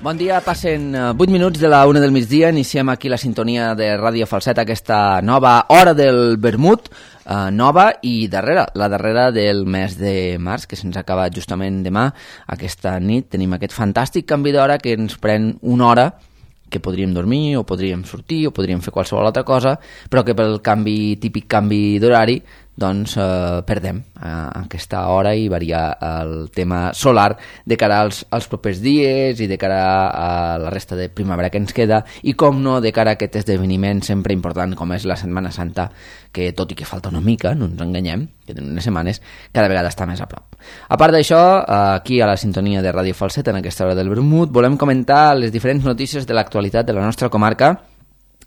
Bon dia, passen 8 minuts de la 1 del migdia, iniciem aquí la sintonia de Ràdio Falset, aquesta nova hora del vermut, nova i darrera, la darrera del mes de març, que se'ns acaba justament demà. Aquesta nit tenim aquest fantàstic canvi d'hora que ens pren una hora, que podríem dormir, o podríem sortir, o podríem fer qualsevol altra cosa, però que pel típic canvi d'horari, doncs perdem aquesta hora i varia el tema solar de cara als propers dies i de cara a la resta de primavera que ens queda i, com no, de cara a aquest esdeveniment sempre important com és la Setmana Santa, que tot i que falta una mica, no ens enganyem, que en unes setmanes cada vegada està més a prop. A part d'això, aquí a la sintonia de Ràdio Falset, en aquesta hora del vermut, volem comentar les diferents notícies de l'actualitat de la nostra comarca.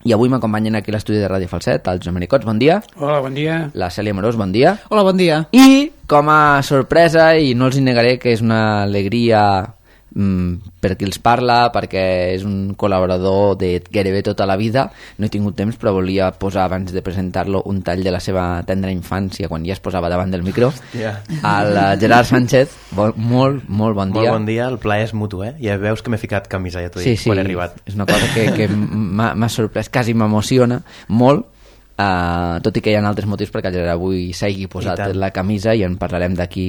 I avui m'acompanyen aquí a l'estudi de Ràdio Falset els Jomericots, bon dia. Hola, bon dia. La Cèlia Morós, bon dia. Hola, bon dia. I, com a sorpresa, i no els negaré que és una alegria per qui els parla, perquè és un col·laborador de gairebé tota la vida, no he tingut temps, però volia posar, abans de presentar-lo, un tall de la seva tendra infància, quan ja es posava davant del micro. El Gerard Sánchez, molt bon dia. Molt bon dia, el plaer és mutu, Ja veus que m'he ficat camisa, ja t'ho dic, quan he arribat. És una cosa que m'ha sorprès, quasi m'emociona molt, tot i que hi ha altres motius perquè el Gerard avui s'hagi posat la camisa, i en parlarem d'aquí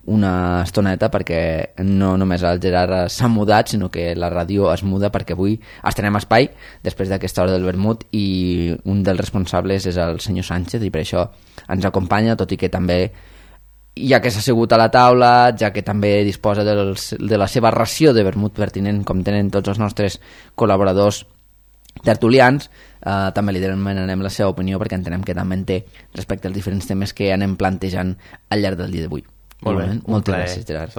una estoneta, perquè no només el Gerard s'ha mudat, sinó que la ràdio es muda, perquè avui estrenem espai després d'aquesta hora del vermut i un dels responsables és el senyor Sánchez, i per això ens acompanya, tot i que també, ja que s'ha assegut a la taula, ja que també disposa de la seva ració de vermut pertinent, com tenen tots els nostres col·laboradors tertulians, també li demanarem la seva opinió, perquè entenem que també en té respecte als diferents temes que anem plantejant al llarg del dia d'avui. Molt bé, moltes gràcies, Gerard.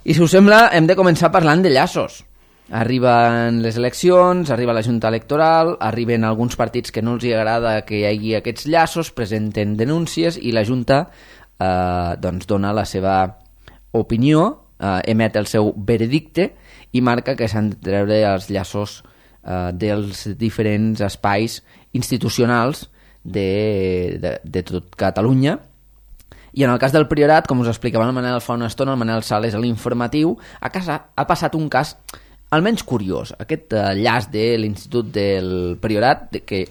I si us sembla, hem de començar parlant de llaços. Arriben les eleccions, arriba la Junta Electoral, arriben alguns partits que no els agrada que hi hagi aquests llaços, presenten denúncies i la Junta doncs dona la seva opinió, emet el seu veredicte i marca que s'han de treure els llaços dels diferents espais institucionals de tot Catalunya. I en el cas del Priorat, com us explicava el Manel fa una estona, el Manel Sales a l'informatiu, ha passat un cas almenys curiós. Aquest llaç de l'Institut del Priorat, que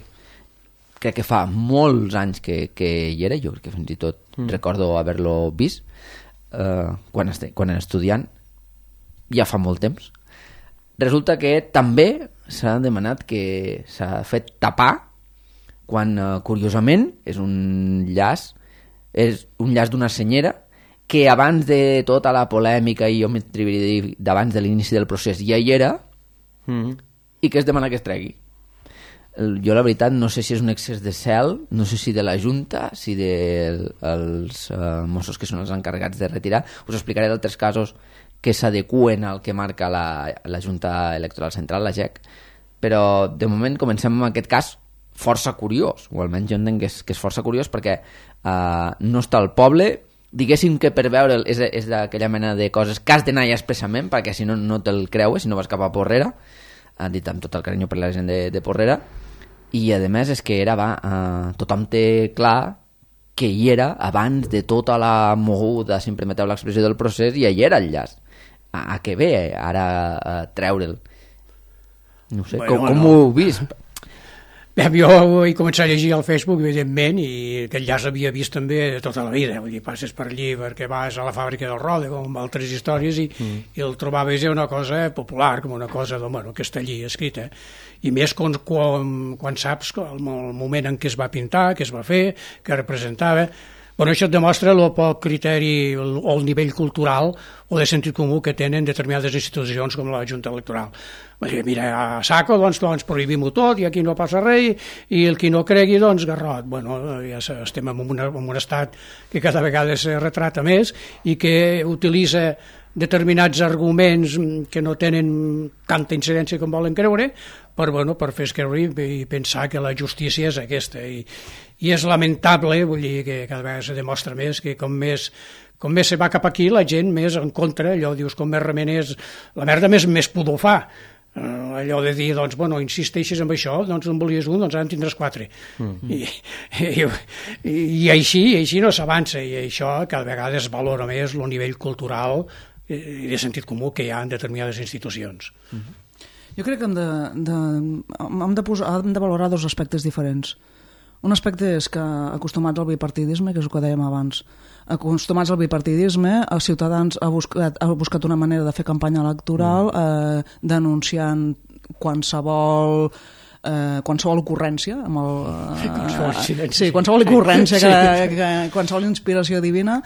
crec que fa molts anys que hi era, jo crec que fins i tot recordo haver-lo vist quan era estudiant, ja fa molt temps. Resulta que també s'ha demanat que s'ha fet tapar quan, curiosament, és un llaç d'una senyera que abans de tota la polèmica i jo m'atreviria a dir d'abans de l'inici del procés ja hi era i que es demana que es tregui. Jo la veritat no sé si és un excés de zel, no sé si de la Junta, si dels Mossos que són els encarregats de retirar. Us explicaré d'altres casos que s'adeqüen al que marca la Junta Electoral Central, la GEC, però de moment comencem amb aquest cas força curiós, o almenys jo entenc que és força curiós, perquè no està al poble, diguéssim que per veure'l és d'aquella mena de coses que has d'anar expressament, perquè si no, no te'l creues, si no vas cap a Porrera, dit amb tot el carinyo per la gent de Porrera, i a més és que tothom té clar que hi era abans de tota la moguda, si em permeteu l'expressió, del procés, i hi era el llaç. A què ve ara treure'l? No sé, com ho heu vist? Bé, jo he començat a llegir al Facebook, evidentment, i aquest llaç havia vist també tota la vida. Vull dir, passes per allí perquè vas a la fàbrica del Roda, com altres històries, i el trobaves una cosa popular, com una cosa que està allí escrita. I més quan saps el moment en què es va pintar, què es va fer, què representava. Això et demostra el poc criteri o el nivell cultural o de sentit comú que tenen determinades institucions com la Junta Electoral. Mira, a saco, doncs prohibim-ho tot i aquí no passa res, i el qui no cregui, doncs garrot. Ja estem en un estat que cada vegada es retrata més i que utilitza determinats arguments que no tenen tanta incidència com volen creure per fer escreure i pensar que la justícia és aquesta, i és lamentable, vull dir que cada vegada se demostra més que com més se va cap aquí la gent més en contra, allò dius com més remenés, la merda més pudor fa, allò de dir, doncs, insisteixes en això, doncs en volies un, doncs ara en tindràs 4. I així no s'avança, i això cada vegada es valora més el nivell cultural i de sentit comú que hi ha en determinades institucions. Jo crec que hem de valorar dos aspectes diferents. Un aspecte és que acostumats al bipartidisme, que és el que dèiem abans, acostumats al bipartidisme, els ciutadans ha buscat una manera de fer campanya electoral denunciant qualsevol ocurrència qualsevol ocurrència qualsevol inspiració divina,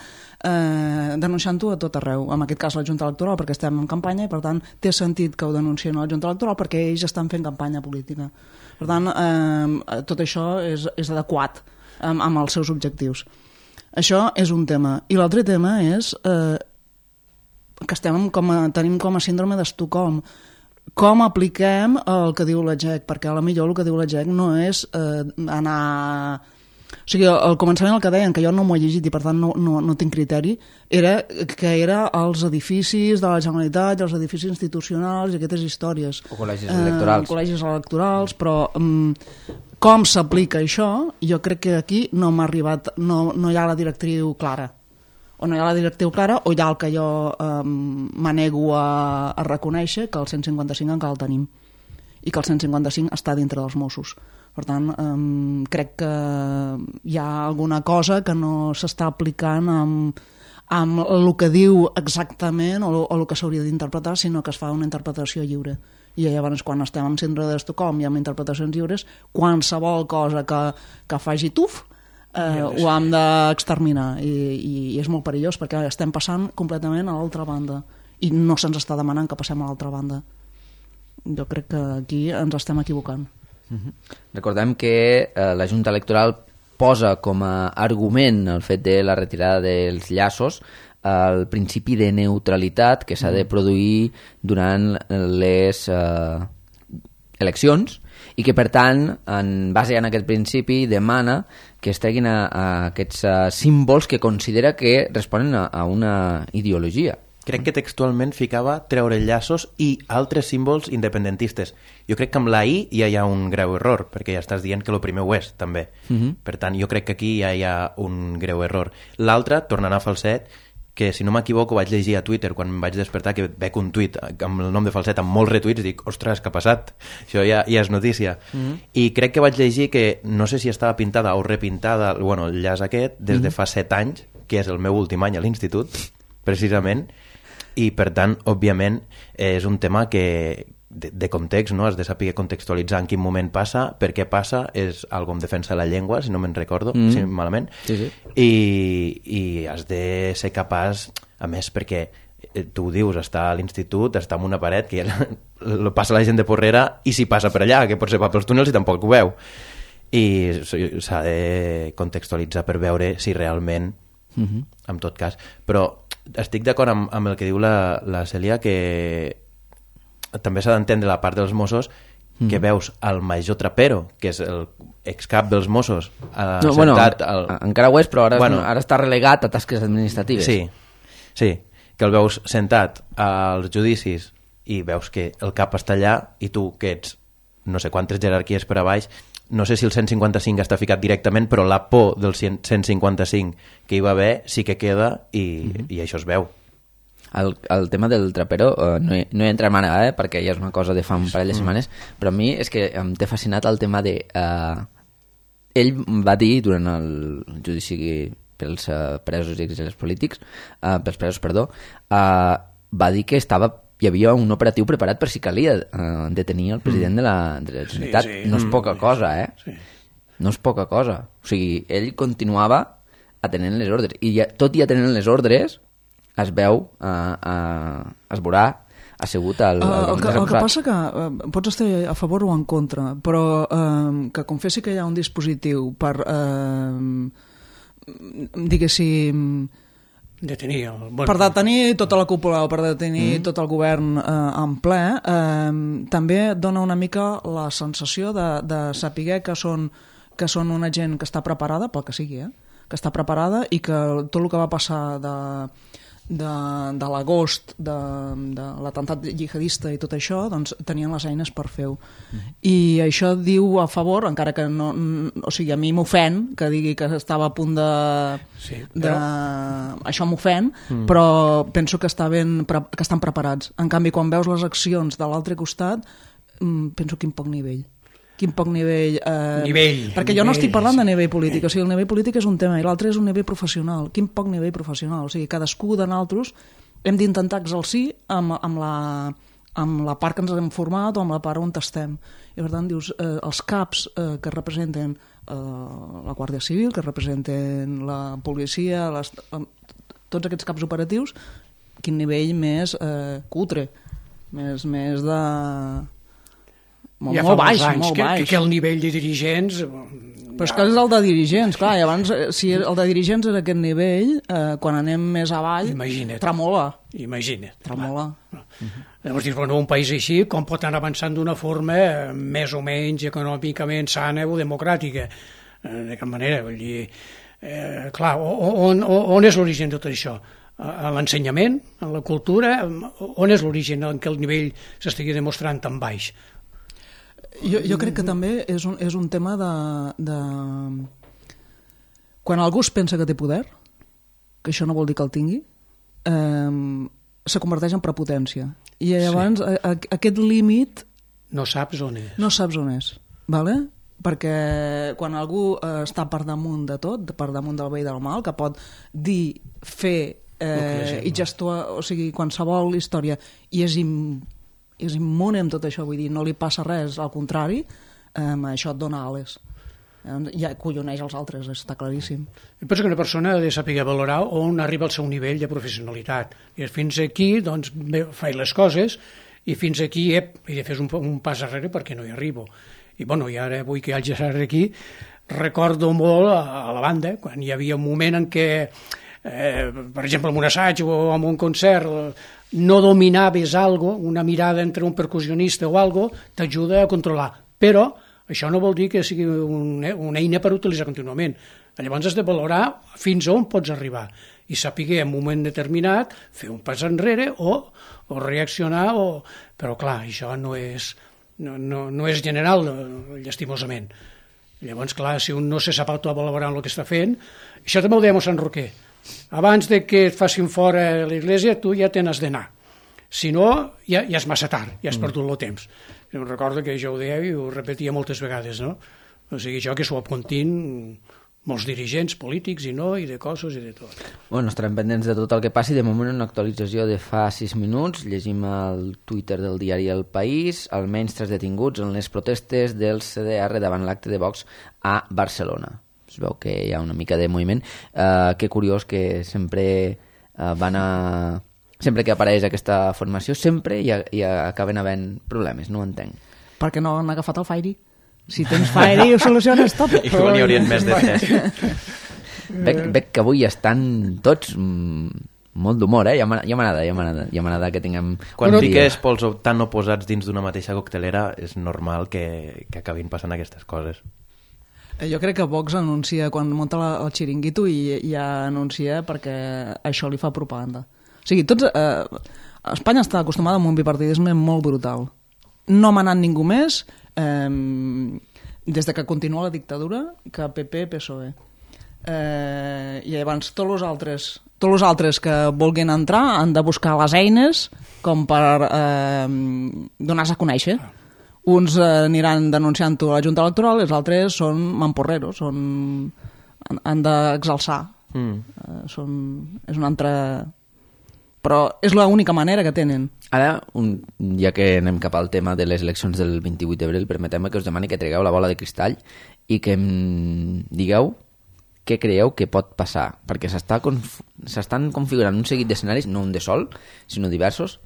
denunciant-ho a tot arreu, en aquest cas la Junta Electoral, perquè estem en campanya i per tant té sentit que ho denuncien a la Junta Electoral perquè ells estan fent campanya política. Per tant, tot això és adequat amb els seus objectius. Això és un tema. I l'altre tema és que tenim com a síndrome d'Estocolm. Com apliquem el que diu la GEC? Perquè potser el que diu la GEC no és anar... O sigui, al començament el que deien, que jo no m'ho he llegit i per tant no tinc criteri, era que era els edificis de la Generalitat, els edificis institucionals i aquestes històries. O col·legis electorals. Col·legis electorals, però com s'aplica això, jo crec que aquí no m'ha arribat, no hi ha la directriu clara. O no hi ha la directriu clara o hi ha el que jo m'anego a reconèixer, que el 155 encara el tenim i que el 155 està dintre dels Mossos. Per tant, crec que hi ha alguna cosa que no s'està aplicant amb el que diu exactament o el que s'hauria d'interpretar, sinó que es fa una interpretació lliure. I llavors, quan estem en síndrome d'Estocolm i amb interpretacions lliures, qualsevol cosa que faci tuf ho hem d'exterminar. I és molt perillós perquè estem passant completament a l'altra banda i no se'ns està demanant que passem a l'altra banda. Jo crec que aquí ens estem equivocant. Recordem que la Junta Electoral posa com a argument el fet de la retirada dels llaços el principi de neutralitat que s'ha de produir durant les eleccions i que per tant en base en aquest principi demana que es treguin aquests símbols que considera que responen a una ideologia. Crec que textualment ficava treure llaços i altres símbols independentistes. Jo crec que amb la I ja hi ha un greu error, perquè ja estàs dient que el primer ho és, també. Per tant, jo crec que aquí ja hi ha un greu error. L'altre, tornant a Falset, que si no m'equivoco vaig llegir a Twitter quan em vaig despertar que veig un tuit amb el nom de Falset amb molts retuits, dic, ostres, què ha passat? Això ja és notícia. I crec que vaig llegir que no sé si estava pintada o repintada, bueno, el llaç aquest, des de fa 7 anys, que és el meu últim any a l'institut, precisament, i per tant, òbviament, és un tema que de context, no? Has de saber contextualitzar en quin moment passa, per què passa, és algo en defensa de la llengua, si no me'n recordo, si malament, sí. I has de ser capaç, a més, perquè tu ho dius, està a l'institut, està en una paret, que ja passa la gent de Porrera i si passa per allà, que potser va pels túnels i tampoc ho veu. I s'ha de contextualitzar per veure si realment, en tot cas, però estic d'acord amb el que diu la Cèlia, que també s'ha d'entendre la part dels Mossos, que veus el major Trapero, que és el excap dels Mossos, sentat... Encara ho és, però ara està relegat a tasques administratives. Sí, que el veus sentat als judicis i veus que el cap està allà i tu, que ets no sé quantes jerarquies per a baix, no sé si el 155 està ficat directament, però la por del 155 que hi va haver sí que queda i això es veu. El tema del Trapero no hi entra ara, perquè ja és una cosa de fa un parell de setmanes, però a mi és que em té fascinat el tema de... ell va dir durant el judici pels presos i exiliats polítics, va dir que hi havia un operatiu preparat per si calia detenir el president de la Generalitat. No és poca cosa, no és poca cosa. O sigui, ell continuava atenent les ordres i tot i atenent les ordres es veu, es veurà assegut al el que passa que pots estar a favor o en contra, però que confessi que hi ha un dispositiu per diguéssim per detenir tota la cúpula o per detenir tot el govern en ple, també dona una mica la sensació de saber que són una gent que està preparada pel que sigui, que està preparada i que tot el que va passar de l'agost de l'atemptat jihadista i tot això, doncs tenien les eines per fer-ho. I això diu a favor, encara que no, o sigui, a mi m'ofèn que digui que estava a punt de... Sí, però... Això m'ofèn, però penso que estan preparats. En canvi, quan veus les accions de l'altre costat, penso quin poc nivell. Quin poc nivell... perquè jo no estic parlant de nivell polític, o sigui, el nivell polític és un tema i l'altre és un nivell professional. Quin poc nivell professional, o sigui, cadascú de nosaltres hem d'intentar exercir amb la part que ens hem format o amb la part on estem. I per tant, dius, els caps que representen la Guàrdia Civil, que representen la policia, tots aquests caps operatius, quin nivell més cutre, més de... molt baix, que el nivell de dirigents... Però és que és el de dirigents, clar, i abans, si el de dirigents era aquest nivell, quan anem més avall, tremola. Imagina't. Tremola. Llavors dius, bueno, un país així, com pot anar avançant d'una forma més o menys econòmicament sana o democràtica? De cap manera, vull dir... clar, on és l'origen de tot això? A l'ensenyament, a la cultura? On és l'origen en què el nivell s'estigui demostrant tan baix? Jo crec que també és un tema de... Quan algú es pensa que té poder, que això no vol dir que el tingui, se converteix en prepotència. I llavors aquest límit... No saps on és. No saps on és, vale? Perquè quan algú està per damunt de tot, per damunt del bé i del mal, que pot dir, fer i gestuar, o sigui, qualsevol història, i és immune amb tot això, vull dir, no li passa res, al contrari, això et dona ales. Ja colloneix els altres, està claríssim. Jo penso que una persona ha de saber valorar on arriba el seu nivell de professionalitat. I fins aquí, doncs, faig les coses, i fins aquí he de fer un pas arrere perquè no hi arribo. I, bueno, i ara, avui que hi hagi aquí, recordo molt a la banda, quan hi havia un moment en què, per exemple, en un assaig o en un concert, no dominaves una mirada entre un percussionista o algo, t'ajuda a controlar. Però això no vol dir que sigui una eina per utilitzar contínuament. Llavors has de valorar fins on pots arribar i saber en un moment determinat fer un pas enrere o reaccionar. Però clar, això no és general, llastimosament. Llavors, clar, si un no se sap autovalorar el que està fent, això també ho dèiem a Sant Roquer. Abans de que et facin fora a l'església, tu ja te n'has d'anar. Si no, ja és massa tard, ja has perdut el temps. Jo recordo que jo ho deia i ho repetia moltes vegades, no? O sigui, això que s'ho apuntin molts dirigents polítics i de cossos i de tot. Bueno, estarem pendents de tot el que passi. De moment, una actualització de fa 6 minuts. Llegim al Twitter del diari El País. Almenys 3 detinguts en les protestes del CDR davant l'acte de Vox a Barcelona. Es veu que hi ha una mica de moviment. Que curiós que sempre sempre que apareix aquesta formació sempre hi acaben havent problemes, no ho entenc. Perquè no han agafat el Fairy. Si tens Fairy ho soluciones tot. Igual n'hi haurien més de 3. Veig que avui estan tots molt d'humor, ja m'agrada que tinguem... Quan fiques pols tan oposats dins d'una mateixa coctelera és normal que acabin passant aquestes coses. Jo crec que Vox anuncia, quan munta el xiringuito, i ja anuncia perquè això li fa propaganda. O sigui, Espanya està acostumada a un bipartidisme molt brutal. No m'ha anat ningú més des de que continua la dictadura que PP-PSOE. I llavors tots els altres que vulguin entrar han de buscar les eines com per donar-se a conèixer. Uns aniran denunciant-ho a la Junta Electoral i els altres són mamporreros, han d'exalçar. És una altra... Però és l'única manera que tenen. Ara, ja que anem cap al tema de les eleccions del 28 d'abril, permeteu-me que us demani que tregueu la bola de cristall i que em digueu què creieu que pot passar, perquè s'estan configurant un seguit d'escenaris, no un de sol, sinó diversos,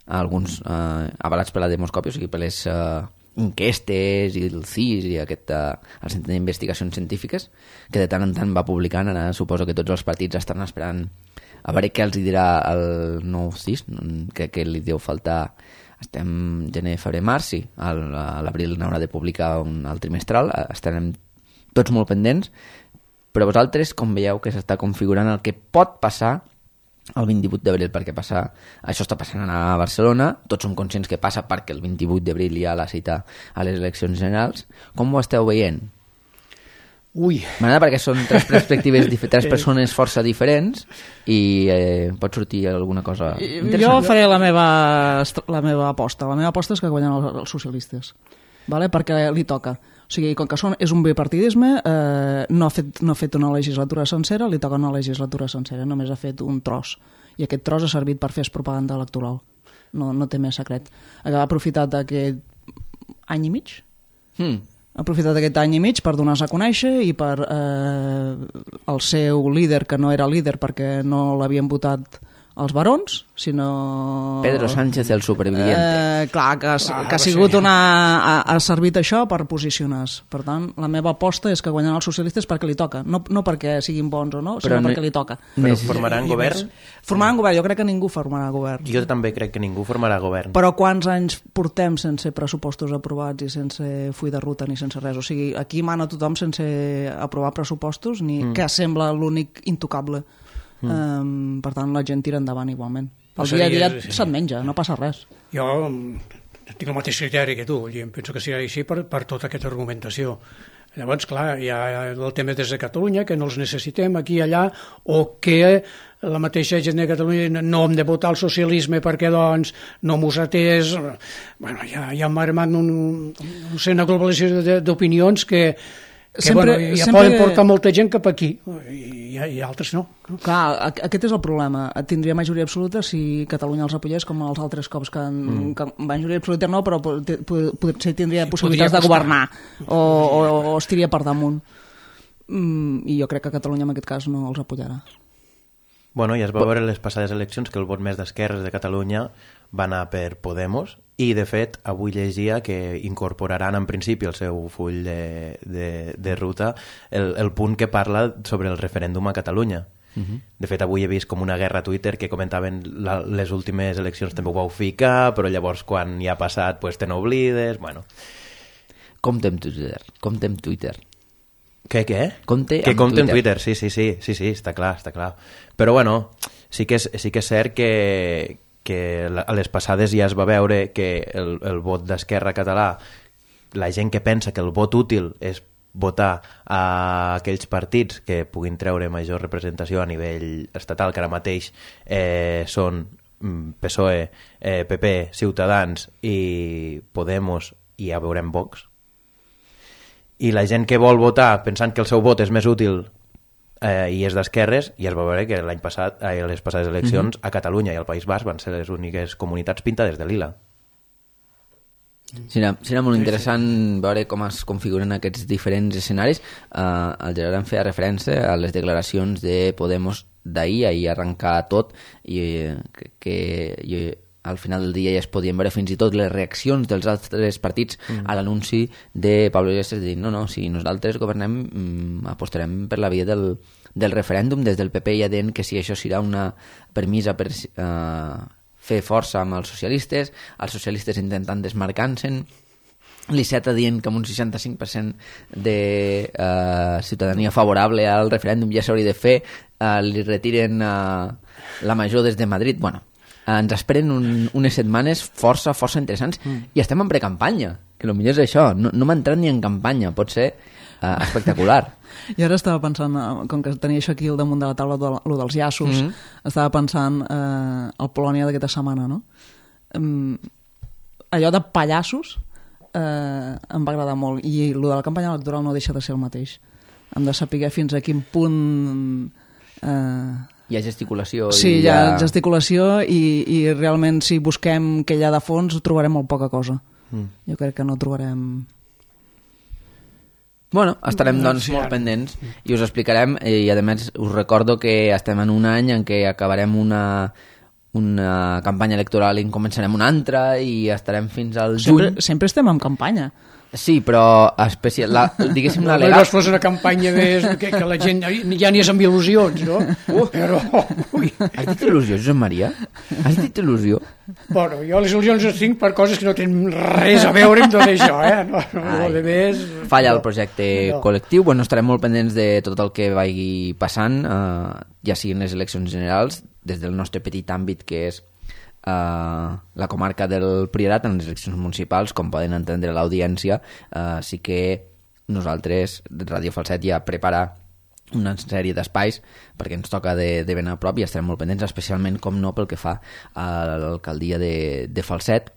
alguns avalats per la demoscòpia, o sigui, per les enquestes i el CIS i el Centre d'Investigacions Científiques, que de tant en tant va publicant. Ara suposo que tots els partits estan esperant a veure què els dirà el nou CIS, que li deu faltar. Estem gener, febrer, març, sí, a l'abril n'haurà de publicar el trimestral, estarem tots molt pendents, però vosaltres com veieu que s'està configurant el que pot passar el 28 d'abril perquè això està passant a Barcelona, tots som conscients que passa perquè el 28 d'abril hi ha la cita a les eleccions generals. Com ho esteu veient? Ui, M'agrada perquè són tres perspectives, tres persones força diferents i pot sortir alguna cosa interessant. Jo faré la meva aposta. La meva aposta és que guanyen els socialistes, vale? Perquè li toca. O sigui, com que és un bipartidisme, no ha fet una legislatura sencera, li toca una legislatura sencera, només ha fet un tros. I aquest tros ha servit per fer propaganda electoral. No té més secret. Ha aprofitat aquest any i mig? Ha aprofitat aquest any i mig per donar-se a conèixer i per el seu líder, que no era líder perquè no l'havien votat els barons, sinó... Pedro Sánchez, el superviviente. Clar, que ha sigut ha servit això per posicionar-se. Per tant, la meva aposta és que guanyaran els socialistes perquè li toca. No perquè siguin bons o no, sinó perquè li toca. Però formaran govern? Formaran govern, jo crec que ningú formarà govern. Jo també crec que ningú formarà govern. Però quants anys portem sense pressupostos aprovats i sense full de ruta ni sense res? O sigui, aquí mana tothom sense aprovar pressupostos, ni que sembla l'únic intocable. Per tant, la gent tira endavant igualment. El dia a dia se't menja, no passa res. Jo tinc el mateix criteri que tu, i em penso que serà així per tota aquesta argumentació. Llavors, clar, hi ha el tema des de Catalunya, que no els necessitem aquí i allà, o que la mateixa gent de Catalunya no hem de votar el socialisme perquè doncs no mos atès. Bueno, ja hem armat una globalització d'opinions que poden portar molta gent cap aquí i altres no. Clar, aquest és el problema. Tindria majoria absoluta si Catalunya els apoyés com els altres cops que majoria absoluta no, però potser tindria possibilitats de governar o estiria per damunt. I jo crec que Catalunya en aquest cas no els apoyarà. Bueno, ja es va veure en les passades eleccions que el vot més d'esquerres de Catalunya va anar per Podemos i, de fet, avui llegia que incorporaran en principi al seu full de ruta el punt que parla sobre el referèndum a Catalunya. De fet, avui he vist com una guerra a Twitter que comentaven les últimes eleccions també ho vau ficar, però llavors quan ja ha passat pues, te n'oblides, bueno. Compte amb Twitter. Què? Compte amb Twitter. Sí, està clar. Però bueno, sí que és cert que a les passades ja es va veure que el vot d'Esquerra català, la gent que pensa que el vot útil és votar a aquells partits que puguin treure major representació a nivell estatal, que ara mateix són PSOE, PP, Ciutadans i Podemos, i ja veurem Vox. I la gent que vol votar pensant que el seu vot és més útil i és d'esquerres, i es va veure que l'any passat, a les passades eleccions, a Catalunya i al País Basc van ser les úniques comunitats pintades de lila. Serà molt interessant veure com es configuren aquests diferents escenaris. El Gerard em feia referència a les declaracions de Podemos d'ahir arrencar tot, i que al final del dia ja es podien veure fins i tot les reaccions dels altres partits a l'anunci de Pablo Iglesias de dir no, si nosaltres governem apostarem per la via del referèndum. Des del PP ja deien que si això serà una permisa per fer força amb els socialistes intentant desmarcar-se'n, l'Iceta dient que amb un 65% de ciutadania favorable al referèndum ja s'hauria de fer, li retiren la major des de Madrid. Bueno, ens esperen unes setmanes força interessants i estem en precampanya, que el millor és això, no m'ha entrat ni en campanya, pot ser espectacular. I ara estava pensant, com que tenia això aquí al damunt de la taula, lo dels llaços, estava pensant al Polònia d'aquesta setmana, no? Allò de pallassos em va agradar molt, i lo de la campanya electoral no deixa de ser el mateix. Hem de saber fins a quin punt... Hi ha gesticulació. Sí, hi ha gesticulació i realment si busquem què hi ha de fons trobarem molt poca cosa. Jo crec que no trobarem... Bueno, estarem doncs molt pendents i us explicarem, i a més us recordo que estem en un any en què acabarem una campanya electoral i en començarem una altra i estarem fins al juny. Sempre estem en campanya. Sí, però diguéssim l'al·legat... No fos una campanya més que la gent ja n'hi és amb il·lusions, no? Però... Has dit il·lusió, Josep Maria? Has dit il·lusió? Bueno, jo les il·lusions les tinc per coses que no tenen res a veure amb tot això, eh? Falla el projecte col·lectiu. Bueno, estarem molt pendents de tot el que vagi passant, ja siguin les eleccions generals, des del nostre petit àmbit, que és la comarca del Priorat, en les eleccions municipals, com poden entendre l'audiència, sí que nosaltres, Ràdio Falset, ja prepara una sèrie d'espais perquè ens toca de ben a prop i estarem molt pendents, especialment, com no, pel que fa a l'alcaldia de Falset,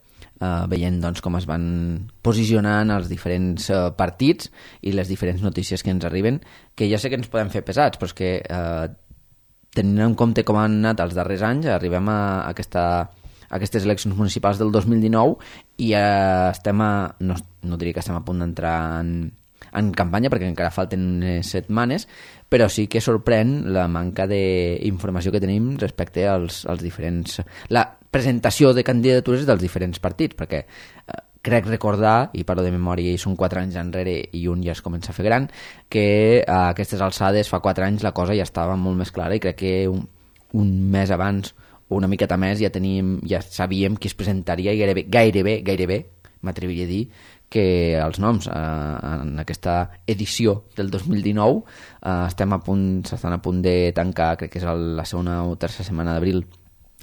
veient doncs, com es van posicionant els diferents partits i les diferents notícies que ens arriben, que ja sé que ens podem fer pesats, però és que tenint en compte com han anat els darrers anys, arribem a aquestes eleccions municipals del 2019 i estem no diria que estem a punt d'entrar en campanya, perquè encara falten unes setmanes, però sí que sorprèn la manca d'informació que tenim respecte als diferents... la presentació de candidatures dels diferents partits, perquè crec recordar, i parlo de memòria i són 4 anys enrere i un ja es comença a fer gran, que a aquestes alçades fa 4 anys la cosa ja estava molt més clara i crec que un mes abans o una miqueta més ja sabíem qui es presentaria i gairebé m'atreviria a dir que els noms en aquesta edició del 2019 s'estan a punt de tancar, crec que és la segona o tercera setmana d'abril,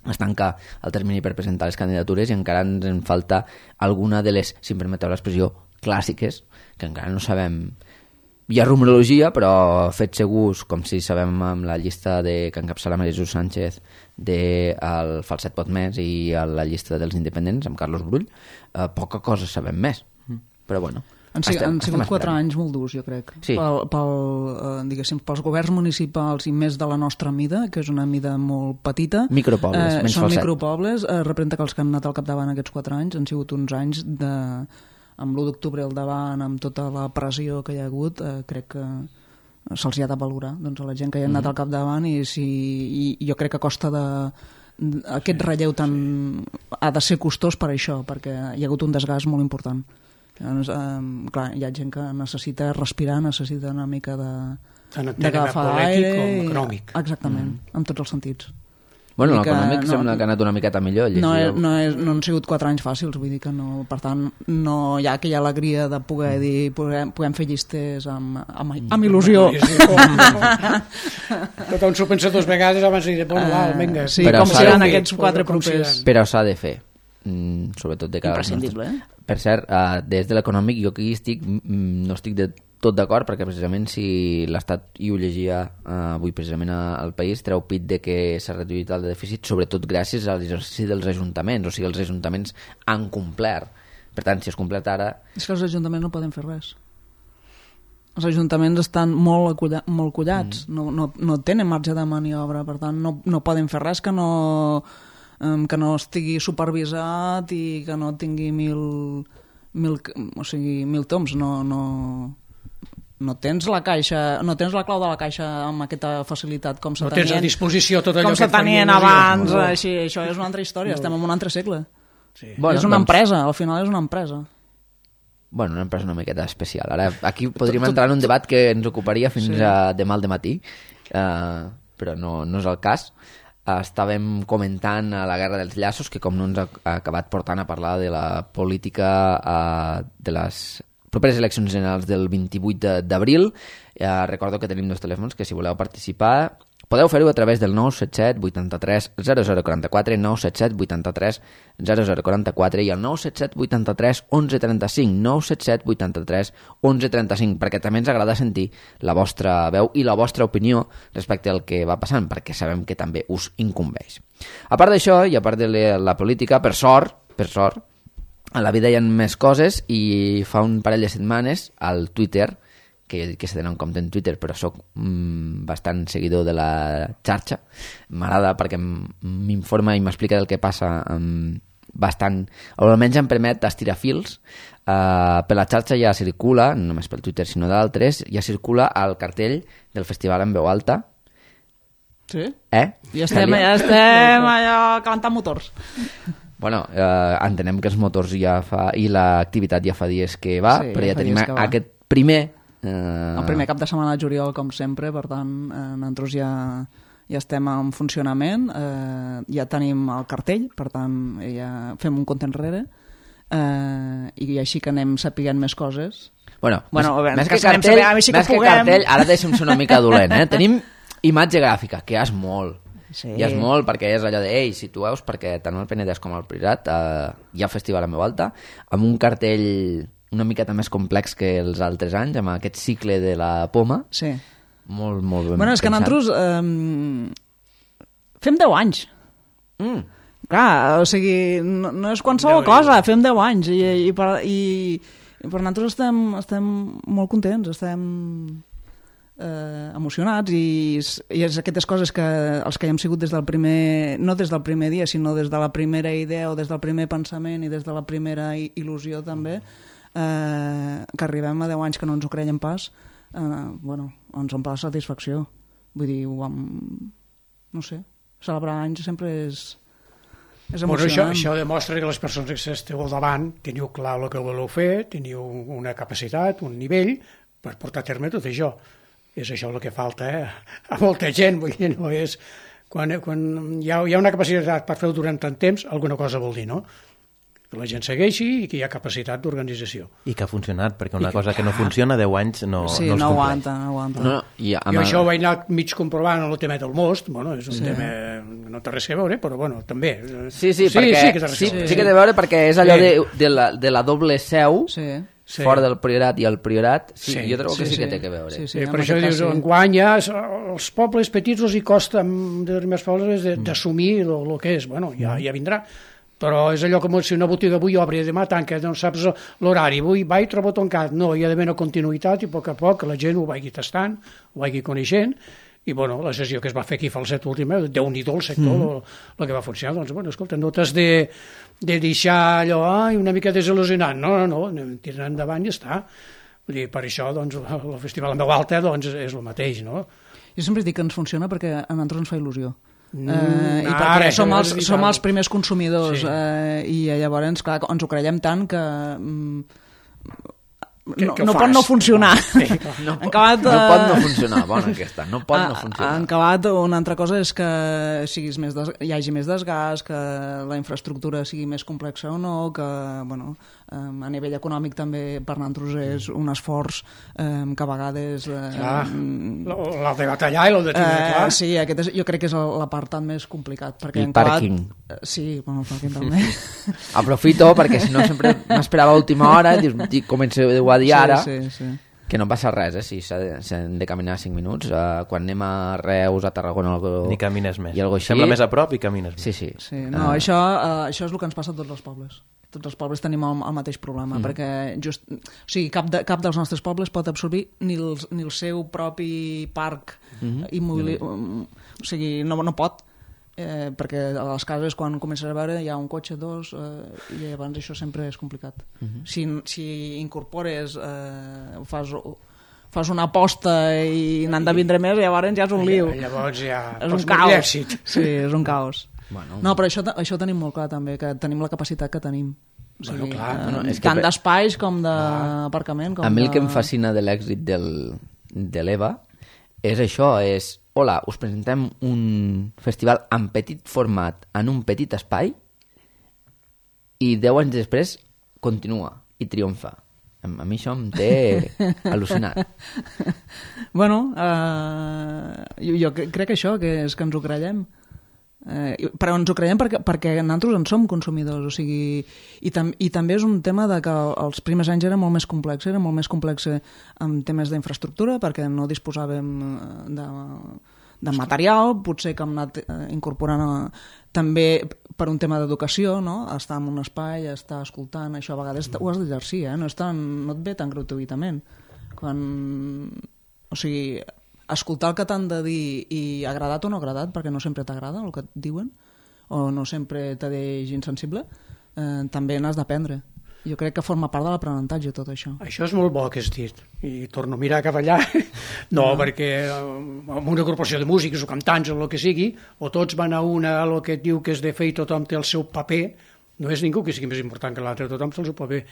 es tanca el termini per presentar les candidatures i encara ens en falta alguna de les, si em permeteu l'expressió, clàssiques, que encara no sabem. Hi ha rumorologia, però fets segurs, com si sabem amb la llista que encapçala Maria Jesús Sánchez del Falset Potmès i a la llista dels independents, amb Carlos Brull, poca cosa sabem més. Però bueno, han sigut 4 anys molt durs, jo crec, sí. Pels governs municipals i més de la nostra mida, que és una mida molt petita. Micropobles, menys són Falset. Micropobles, representa que els que han anat al capdavant aquests 4 anys han sigut uns anys amb l'1 d'octubre al davant, amb tota la pressió que hi ha hagut, crec que se'ls ha de valorar, doncs, a la gent que hi ha anat al capdavant i jo crec que a costa aquest relleu ha de ser costós per això, perquè hi ha hagut un desgast molt important. Doncs, clar, hi ha gent que necessita respirar, necessita una mica d'agafar aire com econòmic. Exactament, en tots els sentits. Bueno, l'econòmic sembla que ha anat una miqueta millor. No han sigut 4 anys fàcils, vull dir que no, per tant no hi ha aquella alegria de poder dir podem fer llistes amb il·lusió. Tothom s'ho pensa 2 vegades abans de dir, vinga. Sí, com seran aquests 4 propers. Però s'ha de fer, sobretot de cara imprescindible, Per cert, des de l'econòmic jo aquí no estic de tot d'acord, perquè precisament si l'Estat, i ho llegia avui precisament al País, treu pit de que s'ha reduït el dèficit, sobretot gràcies a l'exercici dels ajuntaments, o sigui, els ajuntaments han complert. Per tant, si es completa ara... És que els ajuntaments no poden fer res. Els ajuntaments estan molt collats, no tenen marge de maniobra, per tant no poden fer res que no estigui supervisat i que no tingui mil toms. No tens la caixa, no tens la clau de la caixa amb aquesta facilitat com se tenien, no tens a disposició tot allò com se tenien abans. Això és una altra història, estem en un altre segle. Sí. Bueno, és una empresa, al final és una empresa. Bueno, una empresa una miqueta especial. Ara, aquí podríem entrar en un debat que ens ocuparia fins a demà al dematí, però no és el cas. Estàvem comentant a la Guerra dels Llaços, que com no ens ha acabat portant a parlar de la política de les properes eleccions generals del 28 d'abril. Recordo que tenim 2 telèfons que si voleu participar podeu fer-ho a través del 977 83 0044, 977 83 0044 i el 977 83 1135, 977 83 1135, perquè també ens agrada sentir la vostra veu i la vostra opinió respecte al que va passant, perquè sabem que també us incumbeix. A part d'això, i a part de la política, per sort, a la vida hi ha més coses, i fa un parell de setmanes al Twitter, que jo dic que s'ha d'anar en compte en Twitter, però sóc bastant seguidor de la xarxa, m'agrada perquè m'informa i m'explica del que passa bastant, o almenys em permet estirar fils. Per la xarxa ja circula, no només pel Twitter sinó d'altres, ja circula el cartell del festival en veu alta. Sí? Ja estem allò calentant motors. Bueno, entenem que els motors ja fa, i l'activitat ja fa dies que va, sí, però ja tenim aquest primer... El primer cap de setmana de juliol, com sempre, per tant, nosaltres ja estem en funcionament, ja tenim el cartell, per tant, ja fem un compte enrere, i així que anem sapiguent més coses. Bueno, més que cartell, ara deixem ser una mica dolent, tenim imatge gràfica, que és molt. Sí. Ja és molt, perquè és allò de, ei, situeu-vos, perquè tant el Penedès com el Priorat hi ha festival en veu alta, amb un cartell una miqueta més complex que els altres anys, amb aquest cicle de la poma. Sí. Molt, molt ben Bueno, és que pensat. nosaltres fem 10 anys. Clar, o sigui, no és qualsevol cosa, fem 10 anys i per nosaltres estem molt contents, estem emocionats i és aquestes coses que els que hi hem sigut des del primer, no des del primer dia, sinó des de la primera idea o des del primer pensament i des de la primera il·lusió també, que arribem a 10 anys que no ens ho creiem pas, bueno, ens omple la satisfacció. Vull dir, no sé, celebrar anys sempre és emocionant. Això demostra que les persones que esteu al davant teniu clar el que voleu fer, teniu una capacitat, un nivell per portar a terme tot això. És això el que falta a molta gent. Vull dir, no és... Quan hi ha una capacitat per fer-ho durant tant temps, alguna cosa vol dir, no? Que la gent segueixi i que hi ha capacitat d'organització. I que ha funcionat, perquè una cosa que no funciona 10 anys no sí, els no compleix. aguanta. No, Jo això ho vaig anar mig comprovant en el tema del most, bueno, és un tema que no té res a veure, però bueno, també. Sí, perquè, que té res a veure. sí que té a veure perquè és allò de la doble seu, Sí. fora del Priorat i el Priorat, sí, Sí. jo trobo que sí que Sí. té a veure. Sí, Per això dius, enguany ja els pobles petits els hi costa en determinats pobles d'assumir el que és. Bueno, ja vindrà. Però és allò com si una botiga avui obre i demà tanca, no saps l'horari, avui va i trobo tancat. No, hi ha d'haver una continuïtat i a poc a poc la gent ho vagi tastant, ho vagi coneixent, i bueno, la sessió que es va fer aquí fa el set últim, Déu-n'hi-do el sector, el que va funcionar, doncs bueno, escolta, no t'has de deixar allò una mica desil·lusionant, no, tirant endavant i ja està. Vull dir, per això doncs, el festival en veu alta doncs, és el mateix, no? Jo sempre dic que ens funciona perquè a nosaltres ens fa il·lusió. I ara, perquè som això és els primers consumidors, Sí. i llavors, clar, ens ho creiem tant que Que ho no fas. pot no funcionar. Sí, clar. No, En acabat, no pot no funcionar, bona aquesta, no pot no funcionar. En acabat, una altra cosa és que hi hagi més desgast, que la infraestructura sigui més complexa o no, que bueno, a nivell econòmic també per nosaltres és un esforç que a vegades... Clar, l'ha de batallar i l'ha de tenir clar. Sí, aquest jo crec que és l'apartat més complicat. Perquè I en acabat, pàrquing. Sí, bueno, el pàrquing també. Aprofito perquè si no sempre m'esperava a última hora i dius, començo a dir ara Sí. que no passa res, si s'han de caminar 5 minuts, quan anem a Reus, a Tarragona Ni camines més. i algo així. Sembla més a prop i camines més. Sí. Sí, no, això és el que ens passa a tots els pobles. Tots els pobles tenim el mateix problema, perquè o sigui, cap dels nostres pobles pot absorbir ni el seu propi parc immobiliari. O sigui, no pot. Perquè a les cases quan comences a veure hi ha un cotxe, dos, i llavors això sempre és complicat. Si incorpores, fas una aposta i n'han de vindre més, llavors ja és un lío. Llavors ja És un pots caos. l'èxit. Sí, és un caos. Bueno. No, però això ho tenim molt clar també, que tenim la capacitat que tenim. O sigui, Bueno, clar. No, és que tant d'espais com d'aparcament. A mi el que em fascina de l'èxit de l'EVA és això, hola, us presentem un festival en petit format, en un petit espai, i 10 anys després continua i triomfa. A mi això em té al·lucinat. Bueno, jo crec que això, que és que ens ho creiem. Però ens ho creiem perquè nosaltres en som consumidors, o sigui, i també és un tema de que els primers anys era molt més complex en temes d'infraestructura, perquè no disposàvem de material, potser que hem anat incorporant també per un tema d'educació, no? Estar en un espai, estar escoltant, això a vegades ho has d'exercir, no et ve tan gratuïtament. O sigui, escoltar el que t'han de dir i agradat o no agradat, perquè no sempre t'agrada el que et diuen, o no sempre t'ha deix insensible, també n'has d'aprendre. Jo crec que forma part de l'aprenentatge tot això. Això és molt bo que has dit, i torno a mirar cap allà. No, perquè en una agrupació de músics o cantants o el que sigui, o tots van a el que et diu que és de fer i tothom té el seu paper, no és ningú que sigui més important que l'altre, tothom té el seu paper.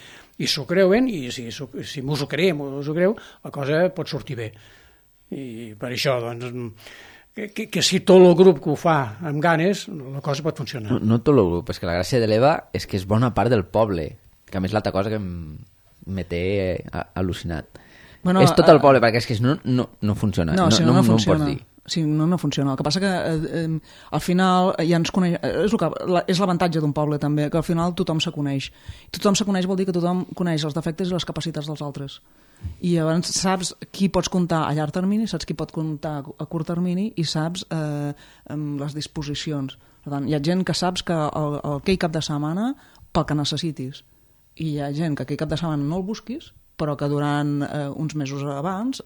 I s'ho creuen, i si mos ho creiem o us ho creu, la cosa pot sortir bé. I per això, doncs, que si tot el grup que ho fa amb ganes, la cosa pot funcionar. No tot el grup, és que la gràcia de l'EVA és que és bona part del poble, que a més l'altra cosa que me té al·lucinat. Bueno, és tot el poble, perquè és que no funciona. No, si no funciona. Ho pots dir. Si no, no funciona. El que passa que al final ja ens coneix... És l'avantatge d'un poble també, que al final tothom se coneix. Tothom se coneix vol dir que tothom coneix els defectes i les capacitats dels altres. I llavors saps qui pots comptar a llarg termini, saps qui pot comptar a curt termini i saps les disposicions. Per tant, hi ha gent que saps que aquell cap de setmana pel que necessitis. I hi ha gent que aquell cap de setmana no el busquis, però que durant uns mesos abans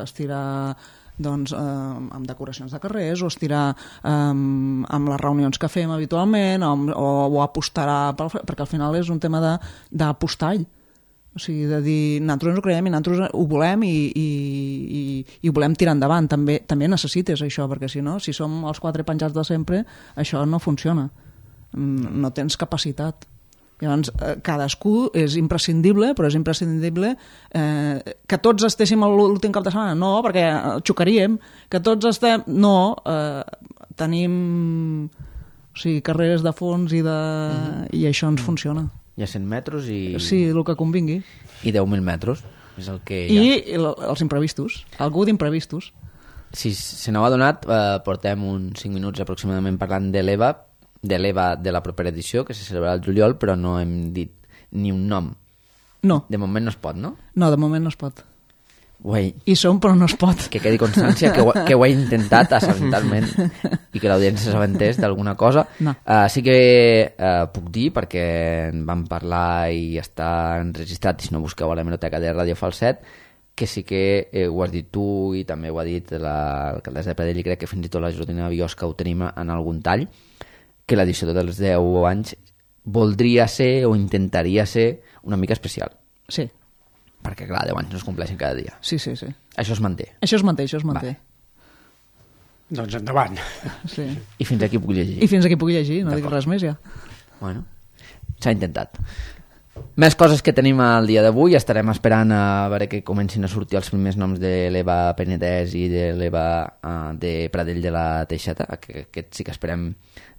estirà doncs, amb decoracions de carrers o estirà amb les reunions que fem habitualment o apostarà, perquè al final és un tema d'apostall. O sigui, de dir, nosaltres ens ho creiem i nosaltres ho volem i ho volem tirar endavant. També necessites això, perquè si no, si som els 4 penjats de sempre, això no funciona. No tens capacitat. Llavors, cadascú és imprescindible, però és imprescindible que tots estéssim l'últim cap de setmana. No, perquè xocaríem. Que tots estem... No, tenim carreres de fons i això ens funciona. Hi ha 100 metres i... Sí, el que convingui. I 10.000 metres. És el que hi ha. I els imprevistos. Algú d'imprevistos. Si se n'ho ha donat, portem uns 5 minuts aproximadament parlant de l'EVA de la propera edició, que se celebrarà el juliol, però no hem dit ni un nom. No. De moment no es pot, no? No, de moment no es pot. Uai. Hi som, però no es pot. Que quedi constància que ho he intentat assabentar-me'n i que l'audiència s'aventés d'alguna cosa. No. Sí que puc dir, perquè en vam parlar i està enregistrat, i si no busqueu a l'hemeroteca de Ràdio Falset, que sí que ho has dit tu i també ho ha dit l'alcaldessa de Pradell, i crec que fins i tot la Jordina Biosca ho tenim en algun tall, que l'edició dels 10 anys voldria ser o intentaria ser una mica especial. Sí. Perquè, clar, 10 anys no es compleixen cada dia. Sí. Això es manté. Això es manté. Vale. Doncs endavant. Sí. I fins aquí puc llegir. I fins aquí puc llegir, no dic res més ja. Bueno, s'ha intentat. Més coses que tenim al dia d'avui. Estarem esperant a veure que comencin a sortir els primers noms de l'Eva Penedès i de l'Eva de Pradell de la Teixeta. Aquest sí que esperem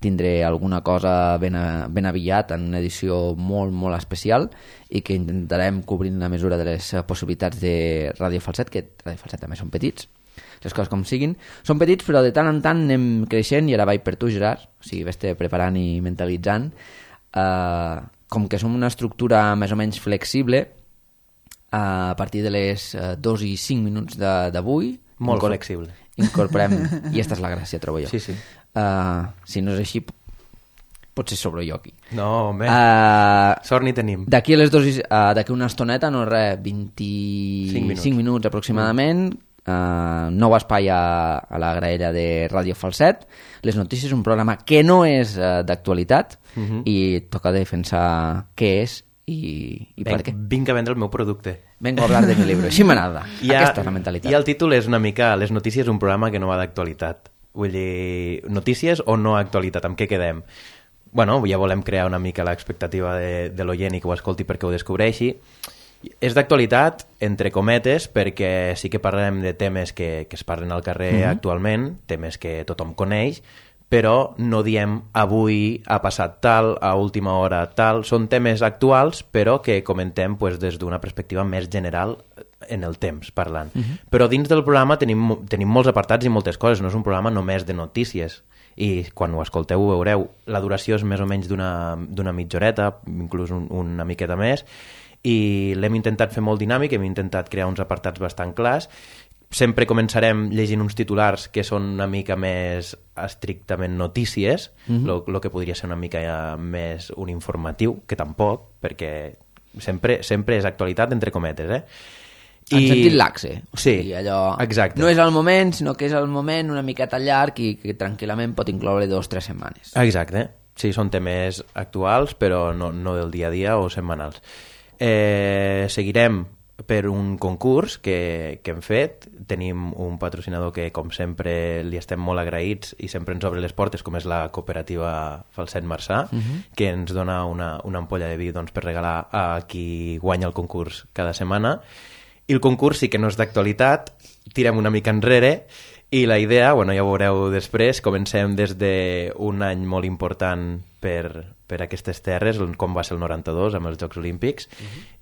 tindré alguna cosa ben aviat en una edició molt, molt especial i que intentarem cobrir la mesura de les possibilitats de Ràdio Falset, que Ràdio Falset també són petits. Les coses com siguin. Són petits, però de tant en tant anem creixent i ara vaig per tu, Gerard. O sigui, vés-te preparant i mentalitzant. Com que som una estructura més o menys flexible, a partir de les 2 i 5 minuts d'avui... Molt flexible. Incorporem... I aquesta és la gràcia, trobo jo. Sí. Si no és així, potser sobro jo aquí. No, home, sort ni tenim. D'aquí a les 2 d'aquí una estoneta, no res, 25 minuts aproximadament, nou espai a la graella de Ràdio Falset. Les notícies, un programa que no és d'actualitat i toca defensar què és i per què. Vinc a vendre el meu producte. Vengo a hablar de mi libro. Així m'agrada. Aquesta és la mentalitat. I el títol és una mica Les notícies, un programa que no va d'actualitat. Vull dir, notícies o no actualitat, amb què quedem? Bueno, ja volem crear una mica l'expectativa de l'oient i que ho escolti perquè ho descobreixi. És d'actualitat, entre cometes, perquè sí que parlem de temes que es parlen al carrer actualment, temes que tothom coneix, però no diem avui ha passat tal, a última hora tal. Són temes actuals, però que comentem des d'una perspectiva més general en el temps, parlant. Però dins del programa tenim molts apartats i moltes coses. No és un programa només de notícies. I quan ho escolteu ho veureu. La duració és més o menys d'una mitja horeta, inclús una miqueta més, i l'hem intentat fer molt dinàmic, hem intentat crear uns apartats bastant clars. Sempre començarem llegint uns titulars que són una mica més estrictament notícies, lo que podria ser una mica més un informatiu, que tampoc, perquè sempre és actualitat entre cometes, En sentit laxe. Sí, allò exacte. No és el moment, sinó que és el moment una miqueta llarg i que tranquil·lament pot incloure 2 o 3 setmanes. Exacte. Sí, són temes actuals, però no del dia a dia o setmanals. Seguirem per un concurs que hem fet. Tenim un patrocinador que, com sempre, li estem molt agraïts i sempre ens obre les portes, com és la cooperativa Falset Marçà, que ens dona una ampolla de vi per regalar a qui guanya el concurs cada setmana. I el concurs sí que no és d'actualitat, tirem una mica enrere I la idea, bueno, ja ho veureu després, comencem des d'un any molt important per aquestes terres, com va ser el 92 amb els Jocs Olímpics,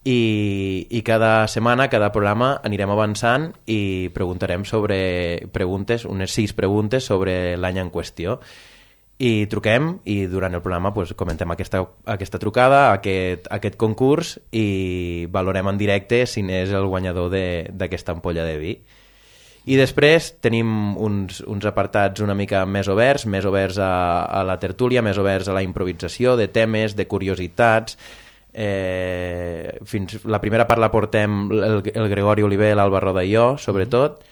i cada setmana, cada programa anirem avançant i preguntarem sobre preguntes, unes 6 preguntes sobre l'any en qüestió. I truquem i durant el programa pues, comentem aquesta trucada, aquest concurs, i valorem en directe si n'és el guanyador d'aquesta ampolla de vi. I després tenim uns apartats una mica més oberts a la tertúlia, més oberts a la improvisació, de temes, de curiositats. La primera part la portem el Gregori Oliver, l'Alba Roda i jo, sobretot,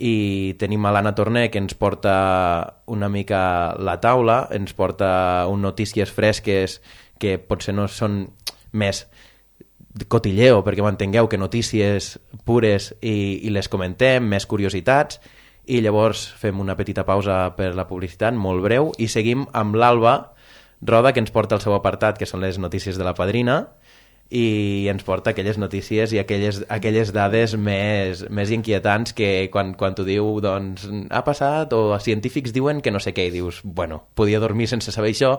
i tenim a l'Anna Torner, que ens porta una mica la taula, ens porta notícies fresques que potser no són més cotilleo, perquè m'entengueu, que notícies pures i les comentem, més curiositats, i llavors fem una petita pausa per la publicitat, molt breu, i seguim amb l'Alba Roda, que ens porta el seu apartat, que són les notícies de la Padrina, i ens porta aquelles notícies i aquelles dades més inquietants que quan t'ho diu, doncs, ha passat, o els científics diuen que no sé què, i dius, bueno, podia dormir sense saber això,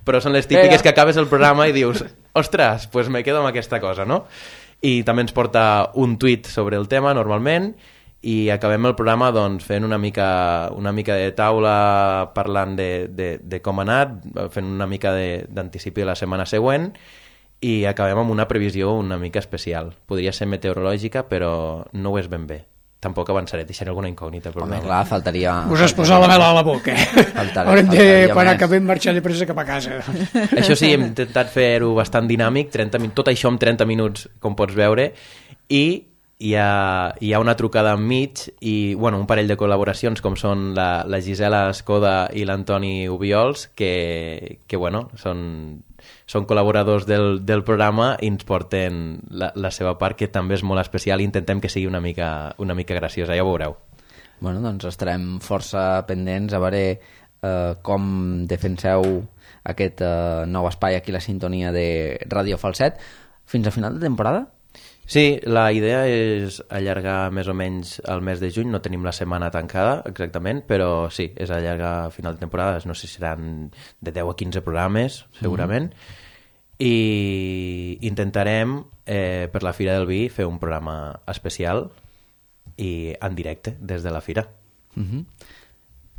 però són les típiques que acabes el programa i dius, ostres, pues me quedo amb aquesta cosa, no? I també ens porta un tuit sobre el tema, normalment, i acabem el programa doncs, fent una mica de taula, parlant de com ha anat, fent una mica d'anticipi de la setmana següent, i acabem amb una previsió una mica especial. Podria ser meteorològica, però no ho és ben bé. Tampoc avançaré, deixaré alguna incògnita. Home, clar, faltaria... Us has posat la mela a la boca, Haurem de, quan acabem, marxar de pressa cap a casa. Això sí, hem intentat fer-ho bastant dinàmic, tot això en 30 minuts, com pots veure, i hi ha una trucada enmig i bueno, un parell de col·laboracions com són la Gisela Escoda i l'Antoni Ubiols que bueno, són col·laboradors del programa i ens porten la seva part, que també és molt especial, i intentem que sigui una mica graciosa, ja ho veureu. Bueno, doncs estarem força pendents a veure com defenseu aquest nou espai aquí, la sintonia de Ràdio Falset, fins a final de temporada? Sí, la idea és allargar més o menys el mes de juny, no tenim la setmana tancada exactament, però sí, és allargar a final de temporada, no sé si seran de 10 a 15 programes, segurament, i intentarem per la Fira del Vi fer un programa especial i en directe des de la Fira.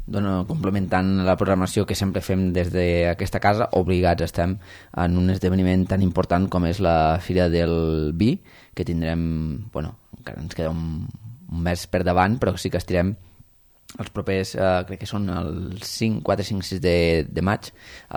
Complementant la programació que sempre fem des d'aquesta casa, obligats estem en un esdeveniment tan important com és la Fira del Vi, que tindrem, encara ens queda un mes per davant, però sí que estirem els propers, crec que són el 4, 5, 6 de maig.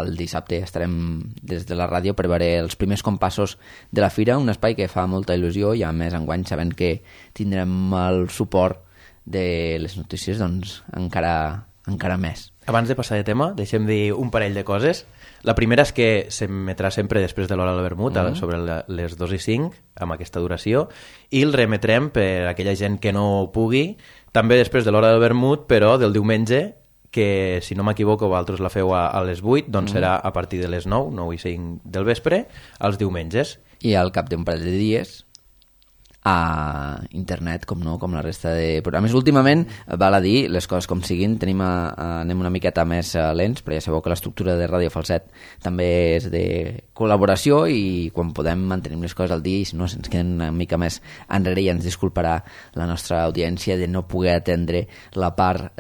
El dissabte estarem des de la ràdio per veure els primers compassos de la Fira, un espai que fa molta il·lusió, i a més enguany sabent que tindrem el suport de les notícies, doncs encara més. Abans de passar de tema, deixem dir un parell de coses. La primera és que s'emetrà sempre després de l'hora del vermut, sobre les 2:05, amb aquesta duració, i el remetrem per a aquella gent que no pugui, també després de l'hora del vermut, però del diumenge, que si no m'equivoco vosaltres la feu a les 8, doncs serà a partir de les 9:05 del vespre, els diumenges. I al cap d'un parell de dies a internet, com la resta de programes. Últimament, val a dir, les coses com siguin, anem una miqueta més lents, però ja sabeu que l'estructura de Ràdio Falset també és de col·laboració, i quan podem mantenim les coses al dia, i si no se'ns queden una mica més enrere, i ens disculparà la nostra audiència de no poder atendre la part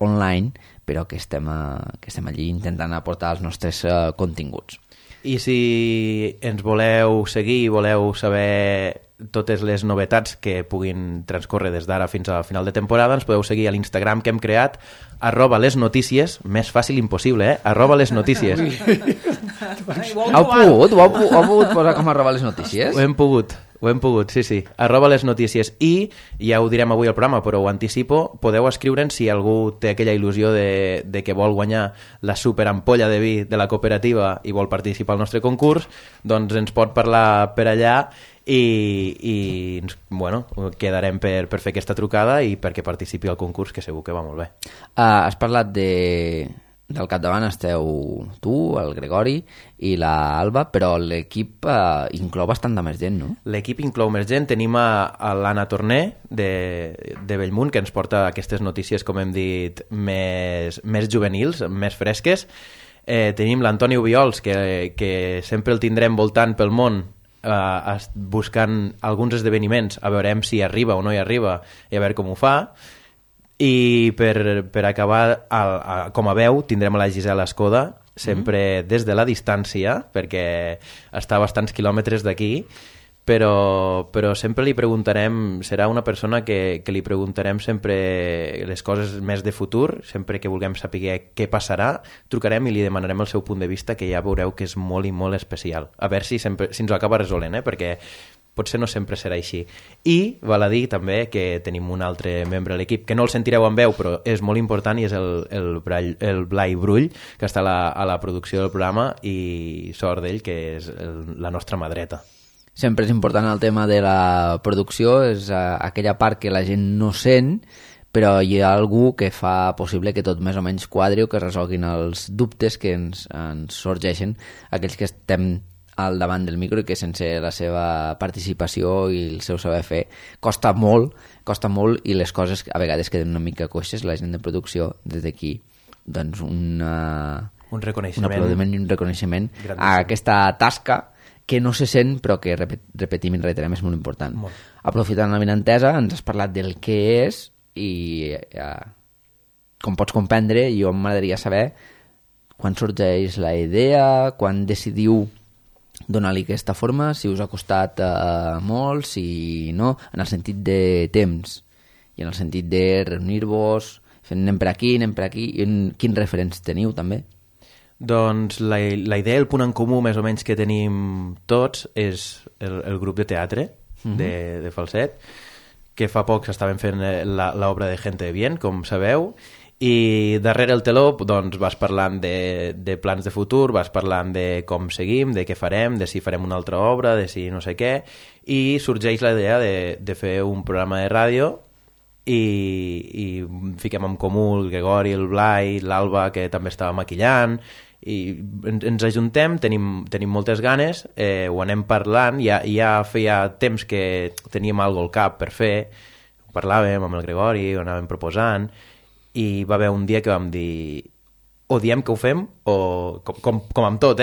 online, però que estem allí intentant aportar els nostres continguts. I si ens voleu seguir i voleu saber totes les novetats que puguin transcórrer des d'ara fins al final de temporada, ens podeu seguir a l'Instagram que hem creat, @lesnotícies, més fàcil impossible, @lesnotícies. Heu pogut posar com @lesnotícies? Ho hem pogut, sí, @lesnotícies. I, ja ho direm avui al programa, però ho anticipo, podeu escriure'ns si algú té aquella il·lusió de que vol guanyar la superampolla de vi de la cooperativa i vol participar al nostre concurs, doncs ens pot parlar per allà, i quedarem per fer aquesta trucada i perquè participi al concurs, que segur que va molt bé. Has parlat de del capdavant esteu tu, el Gregori i la Alba, però l'equip inclou bastant de més gent, no? L'equip inclou més gent. Tenim a l'Anna Torner de Bellmunt, que ens porta aquestes notícies, com hem dit, més juvenils, més fresques. Tenim l'Antoni Ubiols, que sempre el tindrem voltant pel món, buscant alguns esdeveniments, a veurem si arriba o no hi arriba i a veure com ho fa. I per acabar, com a veu, tindrem a la Gisela Escoda, sempre des de la distància, perquè està a bastants quilòmetres d'aquí, però sempre li preguntarem, serà una persona que li preguntarem sempre les coses més de futur, sempre que vulguem saber què passarà, trucarem i li demanarem el seu punt de vista, que ja veureu que és molt i molt especial. A veure si ens ho acaba resolent, perquè potser no sempre serà així. I val a dir també que tenim un altre membre de l'equip, que no el sentireu en veu, però és molt important, i és el Blai Brull, que està a la producció del programa, i sort d'ell, que és la nostra mà dreta. Sempre és important el tema de la producció, és aquella part que la gent no sent, però hi ha algú que fa possible que tot més o menys quadri o que resolguin els dubtes que ens sorgeixen, aquells que estem al davant del micro, i que sense la seva participació i el seu saber fer costa molt, i les coses a vegades queden una mica coixes. La gent de producció, des d'aquí, doncs un aplaudiment i un reconeixement a aquesta tasca que no se sent, però que repetim i reiterem, és molt important. Aprofitant la benentesa, ens has parlat del què és, i com pots comprendre, jo m'agradaria saber quan sorgeix la idea, quan decidiu donar-li aquesta forma, si us ha costat molt, si no, en el sentit de temps i en el sentit de reunir-vos, anem per aquí, i quins referents teniu també? Doncs la idea, el punt en comú més o menys que tenim tots, és el grup de teatre de Falset, que fa poc estaven fent l'obra de Gente de Bien, com sabeu, i darrere el teló doncs, vas parlant de plans de futur, vas parlant de com seguim, de què farem, de si farem una altra obra, de si no sé què, i sorgeix la idea de fer un programa de ràdio i fiquem en comú el Gregori, el Blai, l'Alba, que també estava maquillant, i ens ajuntem, tenim moltes ganes, ho anem parlant, ja feia temps que teníem alguna cosa al cap per fer, ho parlàvem amb el Gregori, ho anàvem proposant, i va haver un dia que vam dir o diem que ho fem, o com amb tot,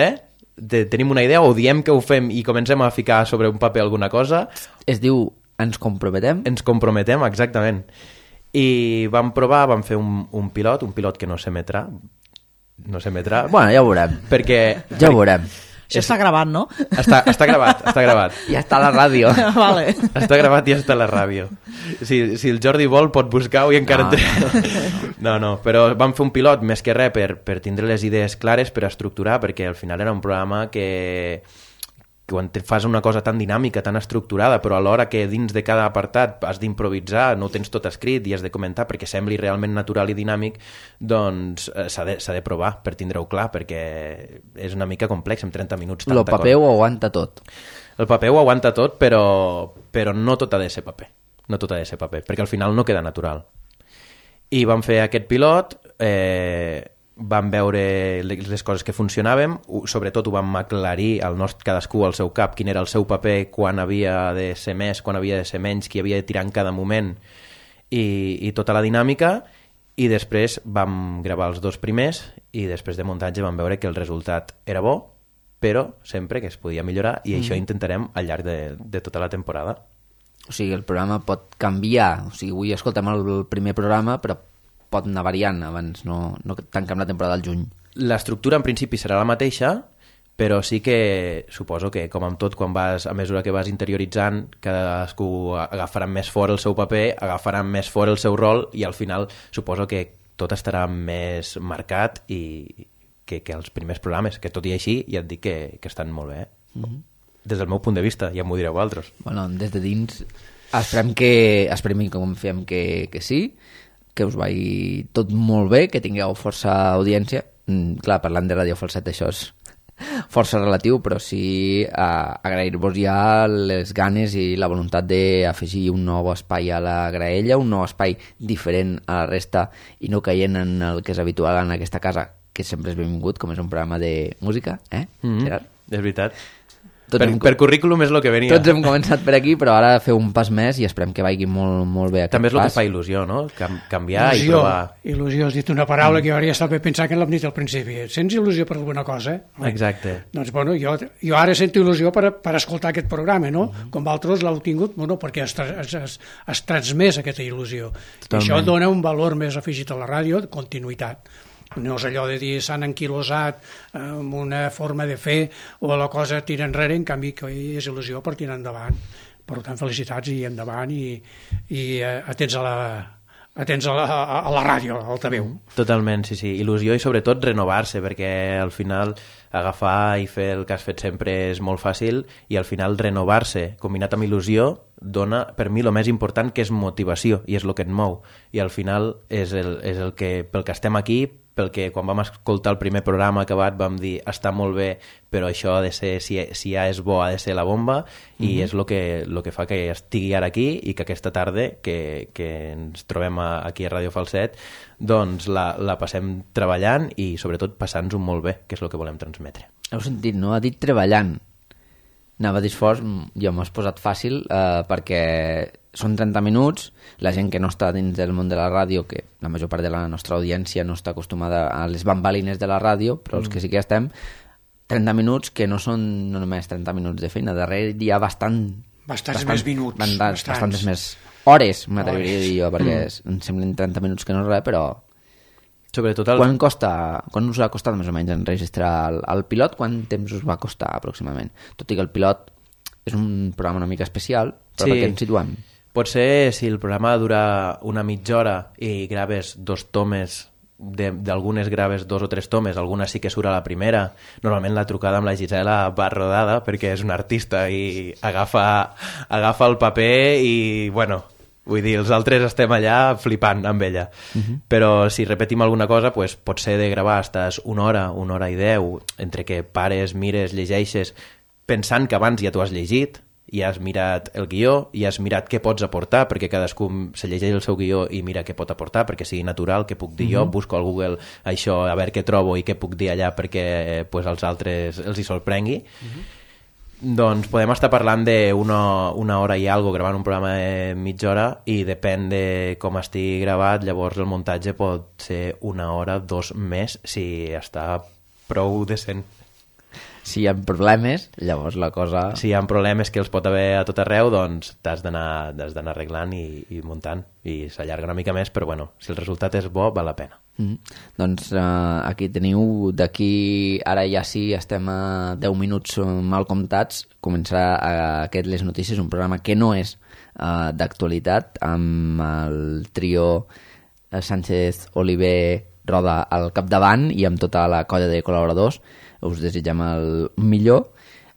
tenim una idea, o diem que ho fem i comencem a ficar sobre un paper alguna cosa. Es diu ens comprometem? Ens comprometem, exactament. I vam provar, vam fer un pilot que no s'emetrà. Bueno, ja ho veurem. Ja ho veurem. Això està gravat, no? Està gravat. Ja està a la ràdio. Vale. Està gravat i ja està a la ràdio. Si el Jordi vol, pot buscar-ho i encara... No, però vam fer un pilot més que res per tindre les idees clares, per estructurar, perquè al final era un programa que quan fas una cosa tan dinàmica, tan estructurada, però alhora que dins de cada apartat has d'improvisar, no ho tens tot escrit i has de comentar perquè sembli realment natural i dinàmic, doncs s'ha de provar per tindre-ho clar, perquè és una mica complex en 30 minuts. El paper ho aguanta tot. El paper ho aguanta tot, però no tot ha de ser paper. No tot ha de ser paper, perquè al final no queda natural. I vam fer aquest pilot, vam veure les coses que funcionaven, sobretot ho vam aclarir cadascú al seu cap, quin era el seu paper, quan havia de ser més, quan havia de ser menys, qui havia de tirar en cada moment, i tota la dinàmica, i després vam gravar els 2 primers, i després de muntatge vam veure que el resultat era bo, però sempre que es podia millorar, i això intentarem al llarg de tota la temporada. O sigui, el programa pot canviar, o sigui, avui escoltem el primer programa, però pot anar variant, abans no tanquem la temporada al juny. L'estructura en principi serà la mateixa, però sí que suposo que, com amb tot, a mesura que vas interioritzant, cadascú agafarà més fort el seu paper, agafarà més fort el seu rol, i al final suposo que tot estarà més marcat que els primers programes, que tot i així ja et dic que estan molt bé. Des del meu punt de vista, ja m'ho direu vosaltres. Bueno, des de dins esperem que confiem que sí, que us vagi tot molt bé, que tingueu força audiència. Clar, parlant de Ràdio Falset això és força relatiu, però sí agrair-vos ja les ganes i la voluntat d'afegir un nou espai a la graella, un nou espai diferent a la resta i no caient en el que és habitual en aquesta casa, que sempre és benvingut, com és un programa de música, Gerard? És veritat. Per currículum és el que venia. Tots hem començat per aquí, però ara feu un pas més i esperem que vagi molt, molt bé aquest També és el pas. que fa il·lusió, no? Canviar i provar. Il·lusió, has dit una paraula que jo hauria estat bé pensar que l'hem dit al principi. Sents il·lusió per alguna cosa? Exacte. Doncs, bueno, jo ara sento il·lusió per escoltar aquest programa, no? Com vosaltres l'heu tingut, bueno, perquè has transmès aquesta il·lusió. I això dona un valor més afegit a la ràdio, de continuïtat. No és allò de dir s'han enquilosat amb una forma de fer o la cosa tira enrere, en canvi que és il·lusió per tirar endavant. Per tant, felicitats i endavant i atents a la ràdio, al altaveu. Totalment, sí. Il·lusió i sobretot renovar-se, perquè al final agafar i fer el que has fet sempre és molt fàcil i al final renovar-se combinat amb il·lusió dona, per mi, el més important, que és motivació i és el que et mou. I al final és el que, pel que estem aquí, pel que quan vam escoltar el primer programa acabat vam dir està molt bé, però això ha de ser, si ja és bo, ha de ser la bomba, i és el que fa que estigui ara aquí i que aquesta tarda que ens trobem aquí a Ràdio Falset doncs la passem treballant i sobretot passant-nos-ho molt bé, que és el que volem transmetre. Heu sentit, no? Ha dit treballant. Anava a dir esforç, jo m'ho has posat fàcil perquè són 30 minuts, la gent que no està dins del món de la ràdio, que la major part de la nostra audiència no està acostumada a les bambalines de la ràdio, però els que sí que estem, 30 minuts que no són no només 30 minuts de feina, darrere hi ha bastants més minuts. Bastantes més hores, m'atreviria a dir jo, perquè em semblen 30 minuts que no és res, però... Sobretot Quan us ha costat més o menys enregistrar el pilot? Quant temps us va costar aproximadament? Tot i que el pilot és un programa una mica especial, però per què ens situem? Potser si el programa dura una mitja hora i graves 2 tomes, d'algunes graves 2 o 3 tomes, alguna sí que surt a la primera. Normalment la trucada amb la Gisela va rodada perquè és una artista i agafa el paper i, bueno... Vull dir, els altres estem allà flipant amb ella. Però si repetim alguna cosa, pues, pot ser de gravar estàs una hora i 10, entre que pares, mires, llegeixes, pensant que abans ja t'ho has llegit, i has mirat el guió, i has mirat què pots aportar, perquè cadascú se llegeix el seu guió i mira què pot aportar, perquè sigui natural, què puc dir jo, busco al Google això, a veure què trobo i què puc dir allà perquè pues, als altres els hi sorprengui. Doncs podem estar parlant d'una hora i algo gravant un programa de mitja hora i depèn de com estigui gravat, llavors el muntatge pot ser 1 hora, 2 més, si està prou decent. Si hi ha problemes, llavors la cosa... Si hi ha problemes que els pot haver a tot arreu, doncs t'has d'anar arreglant i muntant, i s'allarga una mica més, però bueno, si el resultat és bo, val la pena. Doncs aquí teniu, d'aquí ara ja sí, estem a 10 minuts mal comptats, començarà aquest Les Notícies, un programa que no és d'actualitat, amb el trio Sánchez, Oliver, Roda al capdavant i amb tota la colla de col·laboradors. Us desitgem el millor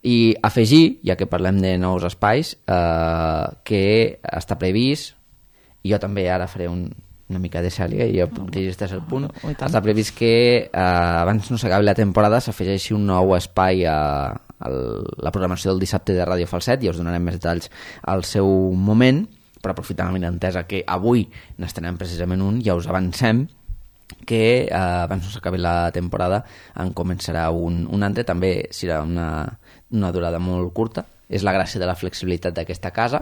i afegir, ja que parlem de nous espais, que està previst, i jo també ara faré una mica de sèrie i jo puc dir este és el punt, està previst que abans no s'acabi la temporada s'afegeixi un nou espai a la programació del dissabte de Ràdio Falset, i us donarem més detalls al seu moment, però aprofitant la benentesa que avui n'estrenem precisament un, ja us avancem que abans no s'acabi la temporada en començarà un altre, també serà una durada molt curta, és la gràcia de la flexibilitat d'aquesta casa,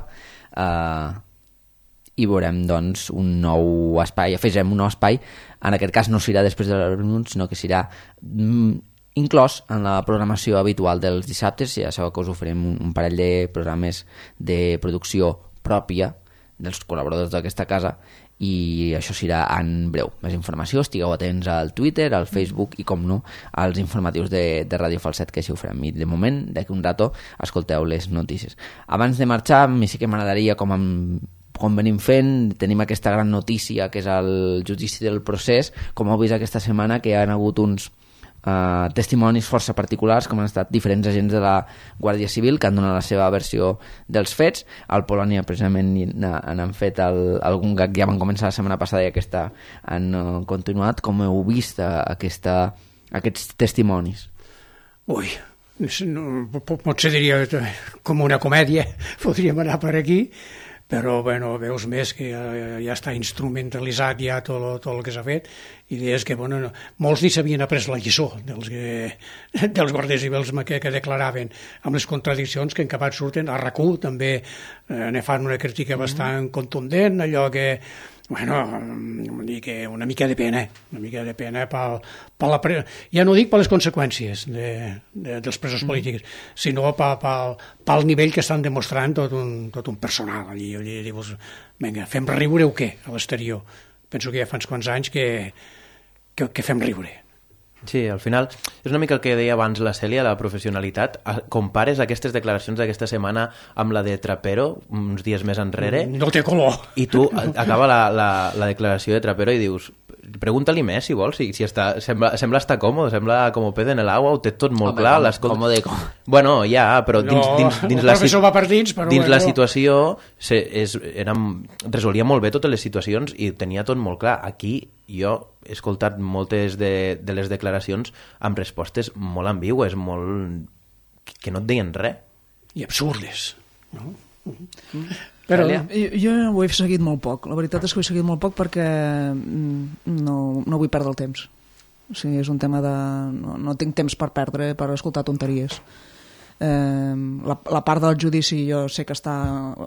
i veurem doncs un nou espai, afegem un nou espai, en aquest cas no serà després de els minuts, sinó que serà inclòs en la programació habitual dels dissabtes. Ja sabeu que us oferim un parell de programes de producció pròpia dels col·laboradors d'aquesta casa, i això serà en breu. Més informació, estigueu atents al Twitter, al Facebook i, com no, als informatius de Ràdio Falset, que així ho farem. I de moment, d'aquí un rato, escolteu les notícies. Abans de marxar, a mi sí que m'agradaria, com venim fent, tenim aquesta gran notícia que és el judici del procés. Com heu vist aquesta setmana, que hi ha hagut uns testimonis força particulars, com han estat diferents agents de la Guàrdia Civil que han donat la seva versió dels fets. Al Polònia precisament han fet algun gag, ja van començar la setmana passada i aquesta han continuat. Com heu vist aquests testimonis? Ui, potser diria com una comèdia, podríem anar per aquí, però bueno, veus més que ja està instrumentalitzat ja tot el que s'ha fet, i és que bueno, molts ni s'havien après la lliçó dels guàrdies civils que declaraven, amb les contradiccions que en acabat surten. A RAC1 també ne fan una crítica bastant contundent, allò que bueno, que una mica de pena ja no dic per les conseqüències dels presos polítics, sinó pel nivell que estan demostrant tot un personal allí dius, vinga, fem riure o què a l'exterior? Penso que ja fa uns quants anys que fem riure. Sí, al final és una mica el que deia abans la Cèlia, la professionalitat. Compares aquestes declaracions d'aquesta setmana amb la de Trapero uns dies més enrere, no té color, i tu acaba la declaració de Trapero i dius, pregunta-li més si vols, si sembla estar còmode, sembla com ped en l'aigua, ho té tot molt clar. Còmode. Bueno, ja, però dins la situació resolia molt bé totes les situacions i tenia tot molt clar. Aquí jo he escoltat moltes de les declaracions amb respostes molt ambigües, que no et deien res. I absurdes, no? Però jo ho he seguit molt poc. La veritat és que ho he seguit molt poc perquè no vull perdre el temps. O sigui, és un tema de... No tinc temps per perdre, per escoltar tonteries. La part del judici jo sé que està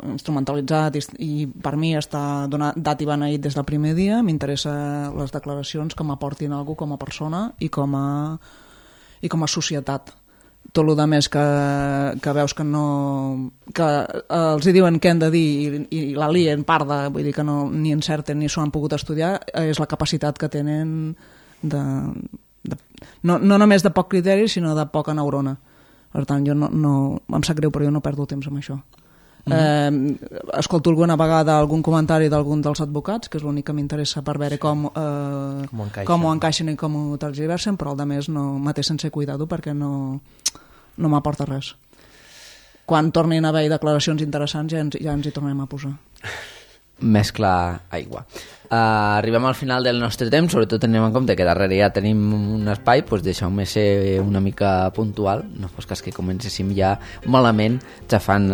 instrumentalitzat i per mi està dat i beneït des del primer dia. M'interessa les declaracions que m'aportin alguna cosa com a persona i com a societat. Tot el més que veus que els hi diuen què han de dir i la lien parda, vull dir que ni encerten ni s'ho han pogut estudiar, és la capacitat que tenen no només de poc criteri sinó de poca neurona. Per tant, jo em sap greu, però jo no perdo temps amb això. Escolto alguna vegada algun comentari d'algun dels advocats, que és l'únic que m'interessa per veure com ho encaixen i com ho tergiversen, però el de més me té sense cuidado perquè no m'aporta res. Quan tornin a haver declaracions interessants ja ens hi tornem a posar. Mescla aigua. Arribem al final del nostre temps, sobretot tenim en compte que darrere ja tenim un espai, doncs deixeu-me ser una mica puntual, no fos cas que comencéssim ja malament xafant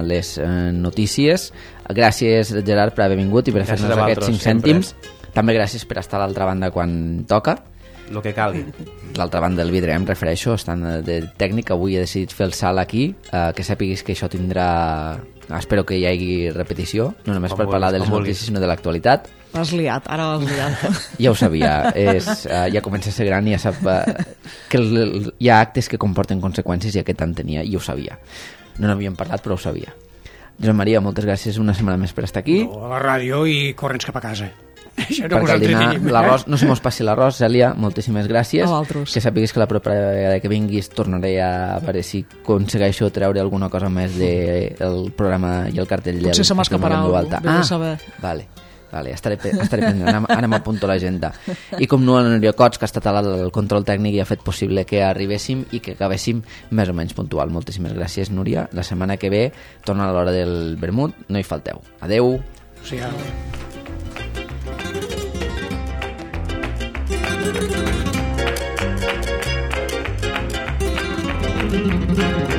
les notícies. Gràcies, Gerard, per haver vingut i per fer-nos aquests 5 cèntims. També gràcies per estar a l'altra banda quan toca. El que calgui. L'altra banda del vidre, em refereixo, estant de tècnic, avui he decidit fer el salt aquí, que sàpiguis que això tindrà... Espero que hi hagi repetició, no només per parlar de les notícies, sinó de l'actualitat. L'has liat, ara l'has liat. Ja ho sabia, ja comença a ser gran i ja sap que hi ha actes que comporten conseqüències i aquest en tenia, i ho sabia. No n'havíem parlat, però ho sabia. Josep Maria, moltes gràcies una setmana més per estar aquí. A la ràdio i corrents cap a casa. Perquè al dinar l'arròs, no se mos passi l'arròs, Cèlia, moltíssimes gràcies. A vosaltres. Que sàpiguis que la propera vegada que vinguis tornaré a veure si aconsegueixo treure alguna cosa més del programa i el cartell. Potser se m'escaparà algú, vés a saber. Vale, estaré pendent, ara m'apunto a l'agenda. I com no, el Núria Cots, que ha estat al control tècnic i ha fet possible que arribéssim i que acabéssim més o menys puntual. Moltíssimes gràcies, Núria. La setmana que ve torna a l'hora del vermut, no hi falteu. Adeu. Sí, Thank you.